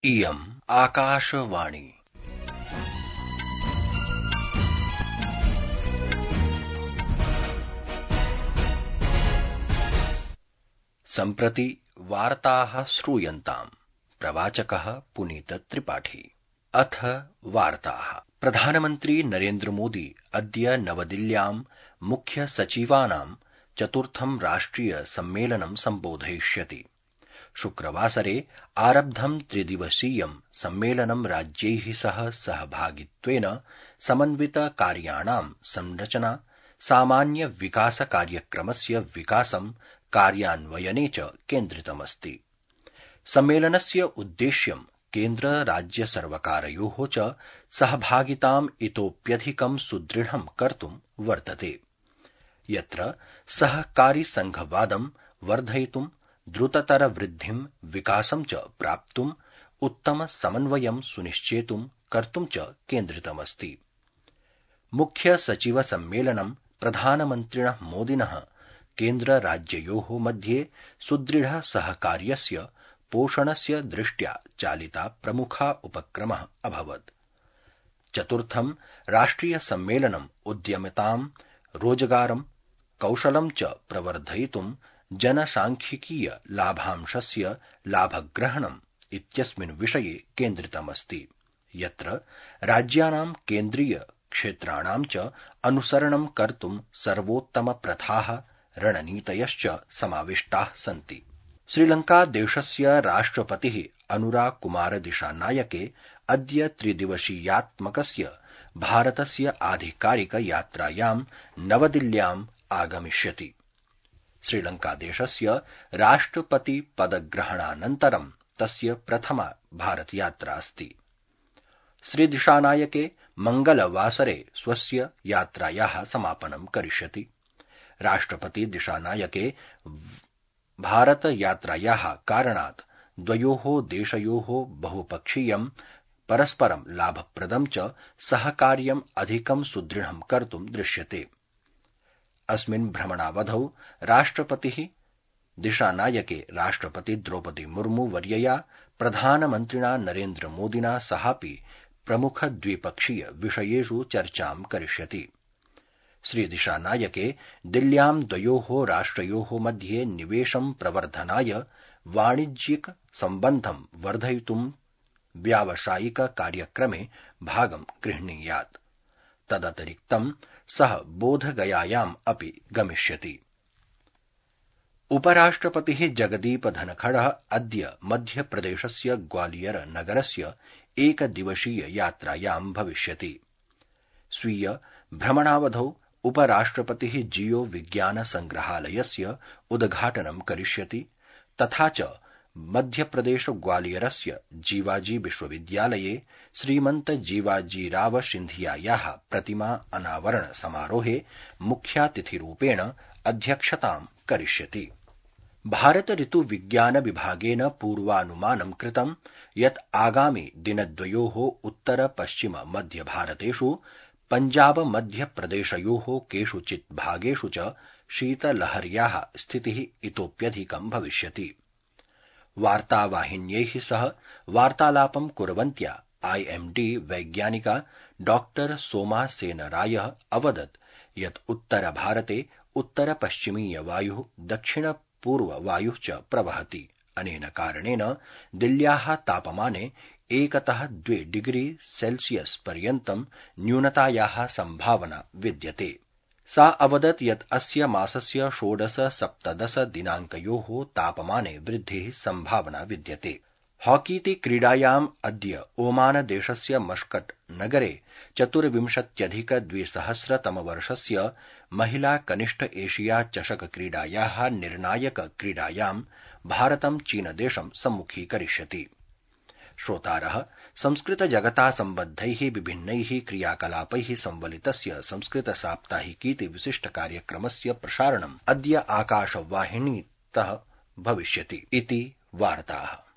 इयम् आकाशवाणी। सम्प्रति वार्ताः श्रूयन्ताम्। प्रवाचकः पुनीत त्रिपाठी। अथ वार्ताः। प्रधानमन्त्री नरेन्द्र मोदी अद्य नवदिल्ल्यां मुख्य सचिवानां चतुर्थं राष्ट्रिय सम्मेलनं सम्बोधयिष्यति। शुक्रवासरे आरब्धं त्रिदिवसीयं सम्मेलनं राज्यैः सह सहभागित्वेन समन्वित कार्याणां संरचना, सामान्य विकास कार्यक्रमस्य विकासं कार्यान्वयने च केन्द्रितमस्ति। सम्मेलनस्य उद्देश्यं केन्द्र राज्य सर्वकारयोः च सहभागिताम् इतोप्यधिकं सुदृढं कर्तुं वर्तते, यत्र सहकारी संघवादं वर्धयितुं, द्रुततर वृद्धिं विकासं च प्राप्तुं, उत्तम समन्वयं सुनिश्चेतुं कर्तुं च केन्द्रितमस्ति। मुख्य सचिव सम्मेलनं प्रधानमन्त्रिणः मोदिनः केन्द्र राज्ययोः मध्ये सुदृढ सहकार्यस्य पोषणस्य दृष्ट्या चालिता प्रमुखा उपक्रमः अभवत्। चतुर्थं राष्ट्रिय सम्मेलनं उद्यमितां, रोजगारं, कौशलं च प्रवर्धयितुं जनसांख्यिकीय लाभांशस्य लाभग्रहणम् इत्यस्मिन् विषये केन्द्रितमस्ति, यत्र राज्यानां केन्द्रीय क्षेत्राणां च अनुसरणं कर्तुं सर्वोत्तम प्रथाः, रणनीतयश्च समाविष्टाः सन्ति। श्रीलंका देशस्य राष्ट्रपतिः अनुरा कुमार दिशानायके अद्य त्रिदिवसीयात्मकस्य भारतस्य आधिकारिक यात्रायां नवदिल्ल्याम् आगमिष्यति। श्रीलंका देशस्य राष्ट्रपति पदग्रहणानन्तरं तस्य प्रथमा भारतयात्रा अस्ति। श्री दिशानायके मंगलवासरे स्वस्य यात्रायाः समापनं करिष्यति। राष्ट्रपति दिशानायके भारत यात्रायाः कारणात् द्वयोः देशयोः बहुपक्षीयं, परस्परं लाभप्रदं च सहकार्यम् अधिकं सुदृढं कर्तुं दृश्यते। अस्मिन् भ्रमणावधौ राष्ट्रपतिः दिशानायके राष्ट्रपति द्रौपदी मुर्मू वर्यया प्रधानमन्त्रिणा नरेन्द्र मोदिना सहापि प्रमुख द्विपक्षीय विषयेषु चर्चां करिष्यति। श्री दिशानायके दिल्ल्यां द्वयोः राष्ट्रयोः मध्ये निवेशं प्रवर्धनाय, वाणिज्यिक सम्बन्धं वर्धयितुं व्यावसायिक कार्यक्रमे भागं गृह्णीयात्। तदतिरिक्तं सः बोधगयायाम् अपि गमिष्यति। उपराष्ट्रपतिः जगदीप धनखडः अद्य मध्यप्रदेशस्य ग्वालियर नगरस्य एकदिवसीय यात्रायां भविष्यति। स्वीय भ्रमणावधौ उपराष्ट्रपतिः जियो विज्ञान संग्रहालयस्य उद्घाटनं करिष्यति, तथा च मध्यप्रदेश ग्वालियरस्य जीवाजी विश्वविद्यालये श्रीमन्त जीवाजीराव सिन्धियायाः प्रतिमा अनावरण समारोहे मुख्यातिथिरूपेण अध्यक्षतां करिष्यति। भारत ऋतु विज्ञान विभागेन पूर्वानुमानं कृतं यत् आगामि दिनद्वयोः उत्तर पश्चिम मध्य भारतेषु पञ्जाब मध्यप्रदेशयोः केषुचित् भागेषु च शीतलहर्याः स्थितिः इतोप्यधिकं भविष्यति। वार्तावाहिन्यैः सह वार्तालापं कुर्वन्त्या IMD वैज्ञानिका डॉक्टर सोमा सेन रायः अवदत् यत् उत्तरभारते उत्तरपश्चिमीय वायुः, दक्षिणपूर्ववायुः च प्रवहति। अनेन कारणेन दिल्ल्याः तापमाने 1-2 डिग्री सेल्सियस् पर्यन्तं न्यूनतायाः सम्भावना विद्यते। सा अवदत् यत् अस्य मासस्य 16-17 दिनाङ्कयोः तापमाने वृद्धिः सम्भावना विद्यते। हॉकीति क्रीडायाम् अद्य ओमान देशस्य मस्कट् नगरे 24,200 महिला कनिष्ठ एशिया चषक क्रीडायाः निर्णायक क्रीडायां भारतं चीनदेशं सम्मुखीकरिष्यति। श्रोतारः संस्कृत जगता सम्बद्धैः विभिन्नैः क्रियाकलापैः संवलितस्य संस्कृत साप्ताहिकीति विशिष्ट कार्यक्रमस्य प्रसारणम् अद्य आकाशवाहिनीतः भविष्यति इति वार्ताः।